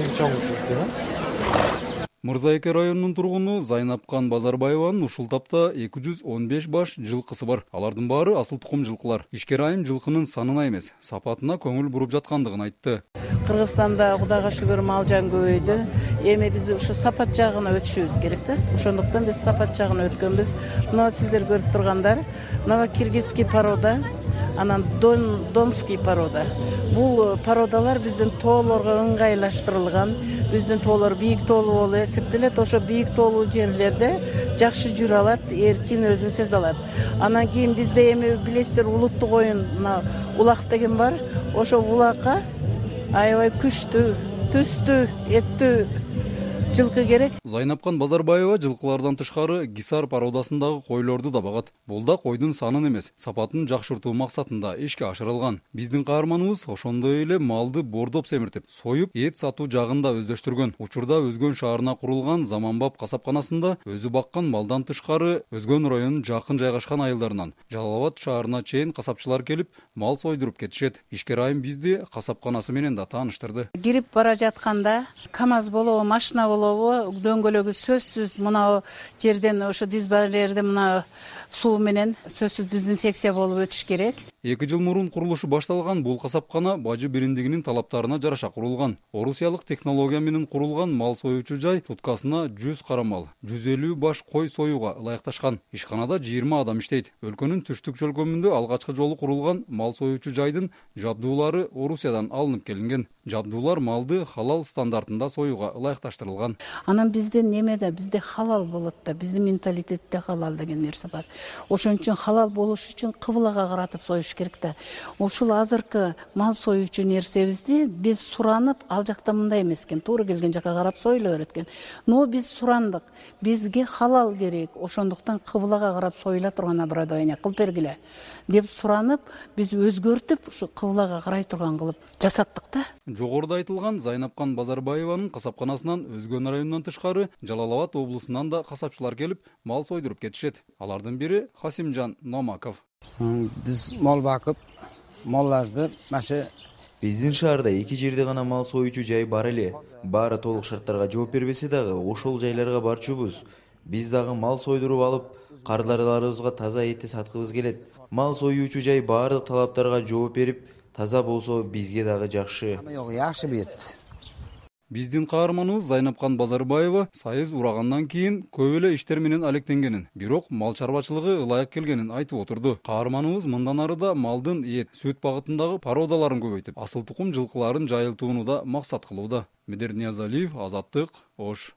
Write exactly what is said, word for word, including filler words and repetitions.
эң чоң ушул. Мырзайке районунун тургуну Зайнапкан Базарбаеванын ушул тапта эки жүз он беш баш жылкысы бар. Алардын баары асыл тукум жылкылар. Ишкер айым жылкынын санына эмес, сапатына көңүл буруп жаткандыгын айтты. Кыргызстанда Кудайга шүгүр мал жан көбөйдү. Эми биз ушу сапат жагына өтүшүбүз керек да. Ошондуктан биз сапат жагына өткөнбүз. Мына сиздер көрүп тургандар, мына киргизский порода, анан дон, донский порода. Бул породалар биздин тоолорго ыңгайлаштырылган. Биздин тоолор бийик тоолуу болуп эсептелет. Ошо бийик тоолуу жерлерде жакшы жүрө алат, эркин өзүн сезе алат. Анан кийин бизде эми билесиздер улуттук оюн мына улак деген бар. Ошо улакка аябай күчтүү, түстүү, эттүү жылкы керек. Зайнапкан Базарбаева жылкылардан тышкары Гисар породасындагы койлорду да багат. Бул да койдун санын эмес, сапатын жакшыртуу максатында ишке ашырылган. Биздин каарманыбыз ошондой эле малды бордоп семиртип, союп, эт сатуу жагын да өздөштүргөн. Учурда Өзгөн шаарына курулган заманбап касапканасында өзү баккан малдан тышкары Өзгөн районунун жакын жайгашкан айылдарынан Жалал Абад шаарына чейин касапчылар келип, мал сойдуруп кетишет. Ишкер айым бизди касапканасы менен да тааныштырды. Кирип бара жатканда КАМАЗ болобу, машина болобу, дөңгөлөгү сөзсүз мына жерден ошо дизбалерде мына суу менен сөзсүз дезинфекция болуп өтүш керек. Эки жыл мурун курулушу башталган бул касапкана бажы биримдигинин талаптарына жараша курулган. Орусиялык технология менен курулган мал союучу жай туткасына жүз кара мал, жүз элүү баш кой союуга ылайыкташкан. Ишканада жыйырма адам иштейт. Өлкөнүн түштүк чөлкөмүндө алгачкы жолу курулган мал союучу жайдын жабдуулары Орусиядан алынып келинген. Жабдуулар малды халал стандартында союуга ылайыкташтырылган. Анан бизде немеде, бизде халал болот да, биздин менталитетте халал деген нерсе бар. Ошон үчүн халал болуш үчүн кыблага каратып союш керек да. Ушул азыркы мал союучу нерсебизди биз суранып, ал жакта мындай эмес экен, туура келген жака карап союла берет экен. Но биз сурандык, бизге халал керек. Ошондуктан кыблага карап союла турган оборудование кылып бергиле деп суранып, биз өзгөртүп, ушу кыблага карай турган кылып жасаттык да. Жогоруда айтылган Зайнапкан Базарбаеванын касапканасынан Өзгөн районунан тышкары Жалал Абад облусунан да касапчылар келип, мал сойдуруп кетишет. Алардын бири Хасимжан Номаков. Биз мал бакып, малларды машы биздин шаарда эки жерде гана мал союучу жай бар эле. Баары толук шарттарга жооп бербесе дагы, ошол жайларга барчубуз. Биз дагы мал сойдуруп алып, кардарларыбызга таза этти саткыбыз келет. Мал союучу жай баардык талаптарга жооп берип, таза болсо бизге дагы жакшы. Жакшы бет. Биздин каарманыбыз Зайнапкан Базарбаева сайыз урагандан кийин көп эле иштер менен алектенгенин, бирок мал чарбачылыгы ылайык келгенин айтып отурду. Каарманыбыз мындан ары да малдын эт, сүт багытындагы породаларын көбөйтүп, асыл тукум жылкыларын жайылтууну да максат кылууда. Медер Ниязалиев, Азаттык, Ош.